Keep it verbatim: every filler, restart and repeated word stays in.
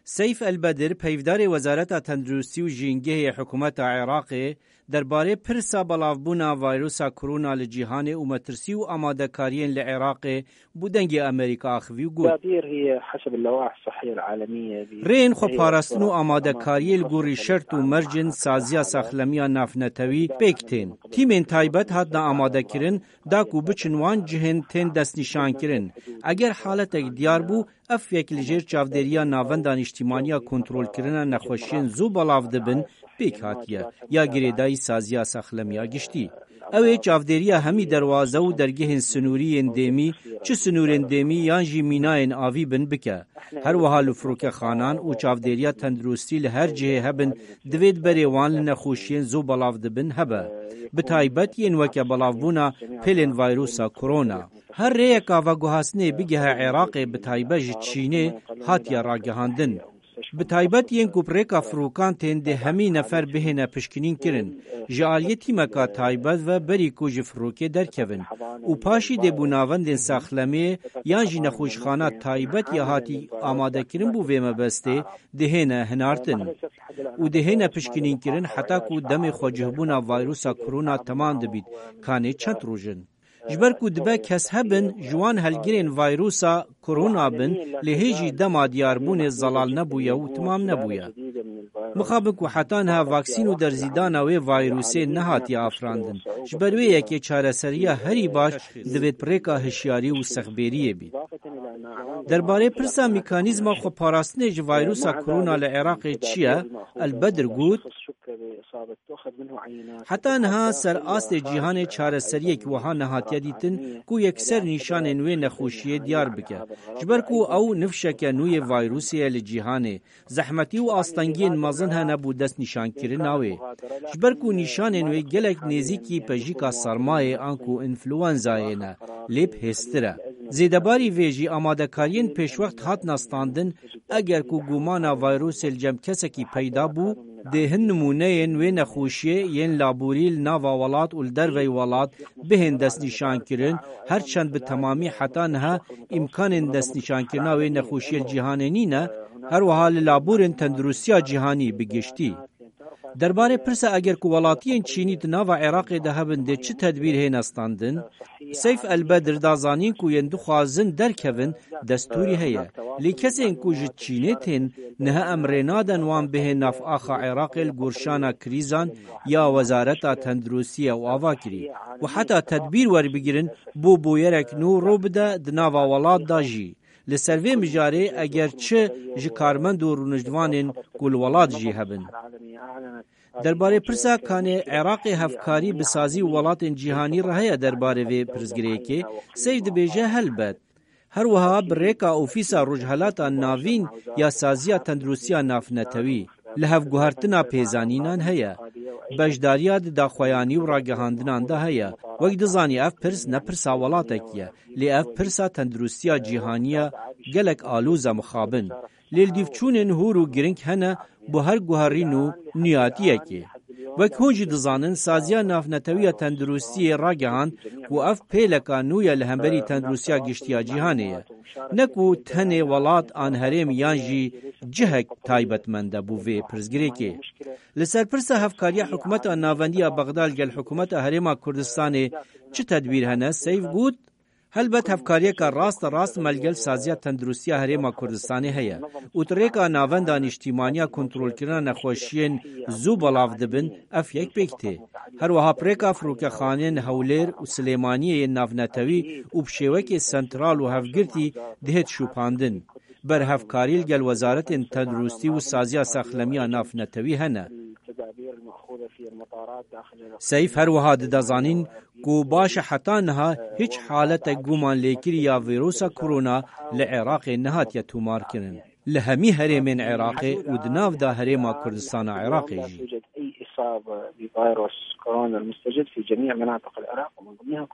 Seyf El-Bedir, peyvdarê Wezareta Tenduristî û Jîngehê Hikûmeta Iraqê, derbarê pirsa belavbûna vayrusa korona li cîhanê û metirsî û amadekariyên li Iraqê bo Dengê Amerîka axivî û got: التدابير هي حسب اللوائح الصحية العالمية. Rêyên xweparastin û amadekariyê li gorî şert û mercên saziya saxlemiya navnetewî pêk tên. Tîmên taybet hatina amadekirin, da ku biçin wan cihên tên destnîşankirin. Eger haletek diyar bû, ev yek li jêr çavdêriya Navenda Nîştîmaniya Kontrolkirina Nexweşiyên Zû Belav Dibin pêk hatiye, ya girêdayî saziya saxlemiya giştî. Ew ê çavdêriya hemî derwaze û dergehên sinûrî yên dêmî, çi sinûrên dêmî yan jî mînayên avî bin, bike. Her wiha li firokexanan û çavdêriya tenduristî li her cihê hebin, divê di berê wan li nexweşiyên zû belav dibin hebe, bi taybet yên weke belavbûna pêlên vayrusa korona. Her rêyeka veguhastinê bigehe Iraqê, bi taybet ji Çînê, hatiye ragihandin. Bi taybet yên ku bi rêka firokan tên, dê hemî nefer bihêne pişkinîn kirin. Ji aliyê tîmeka taybet ve berî ku ji firokê derkevin û paşî dê bo navendên saxlemê yan jî nexweşxana taybet ya hatî amadekirin bo vê mebestê dihêne hinartin û dihêne pişkinîn kirin heta ku demê xwecihbûna vayrusa korona temam dibît, kanê çend roj in. Ji ber ku dibe kes hebin, ji wan helgirên vayrusa korona bin, lê hê jî dema diyarbûnê zelal nebûye û timam nebûye. Mixabin ku heta niha vaksîn û derzîdana wê vayrusê nehatiye afirandin. Ji ber wê yekê çareseriya herî baş divêt bi rêka hişyarî û sexbêriyê bît. Derbarê pirsa mekanîzma xweparastinê ji vayrusa korona li Iraqê çi ye, El Bedir got: Heta niha ser astê cîhanê çareseriyek wiha nehatiye dîtin ku yekser nîşanên wê nexweşiyê diyar bike. Ji ber ku ew nifşeke nû yê vayrusê ye li cîhanê, zehmetî û astengiyên mezin hene bo destnîşankirina wê. Ji ber ku nîşanên wê gelek nêzîkî pejîka sermayê anku înfluenzayê ne, lê bi hêztir e. Zêdebarî vê jî amadekariyên pêşwext hatina standin, eger ku gumana vayrusê li cem kesekî peyda bû, dê hin nimûneyên wê nexweşiyê yên laborî li nava welat û li dervey welat bihên destnîşankirin, her çend bi temamî heta niha îmkanên destnîşankirina wê nexweşiyê li cîhanê nîne, her wiha li laborên tenduristiya cîhanî bi giştî. Derbarê pirsa eger ku welatiyên Çînî di nava Iraqê de hebin, dê çi tedbîr hêne standin? Seyf El Bedir da zanîn ku yên dixwazin derkevin, destûrî heye. Lê kesên ku ji Çînê tên, niha em rê naden wan bihên nav axa Iraqê li gor şana krîzan ya Wezareta Tenduristiyê û ava kirî. Û heta tedbîr werbigirin bo bûyerek nû rû bide di nava welat de jî. Li ser vê mijarê eger çi ji karmend û rûniştvanên ku li welat jî hebin. Derbarê pirsa kanê Iraqê hevkarî bi sazî û welatên cîhanî re heye derbarê vê pirsgirêkê, Seyf dibêje helbet. Her wiha bi rêka Ofîsa Rojhelata Navîn ya Saziya Tenduristiya Navnetewî li hevguhertina pêzanînan heye. Beşdariya di daxuyanî û ragihandinan de heye. Wek dizanî ev pirs ne pirsa welatekî ye, lê ev pirsa tenduristiya cîhanî ye, gelek aloz e mixabin. Lê li dîv çûnên hûr û giring hene bo her guherîn û niyatiyekê. Wek hûn jî dizanin, Saziya Navnetewî ya Tenduristiyê ragihand ku ev pêleka nû ye li hemberî tenduristiya giştî ya cîhanê ye. Ne ku tenê welat an herêm yan jî cihek taybetmend e bo vê pirsgirêkê. Li ser pirsa hevkariya Hikûmeta Navendî ya Bexda li gel Hikûmeta Herêma Kurdistanê çi tedbîr hene, Seyf got: Helbet hevkariyeke raste rast me li gel Saziya Tenduristiya Herêma Kurdistanê heye û di rêka Navenda Nîştîmaniya Kontrolkirina Nexweşiyên Zû Belav Dibin ev yek pêk tê. Her wiha bi rêka firokexaneyên Hewlêr û Silêmaniyê yên navnetewî û bi şêwekê sentral û hevgirtî dihêt şopandin. Berhevkarî li gel Wezaretên Tenduristî û Saziya Saxlemiya Navnetewî hene. Seyf her wiha dide zanîn ku baş e heta niha hiç haletek gumanlêkirî ya vîrusa korona li Iraqê nehatiye tomarkirin. Li hemî herêmên Iraqê û di nav de Herêma Kurdistana Iraqê jî. يوجد أي إصابة بفيروس كورونا المستجد في جميع مناطق العراق ومن ضمنها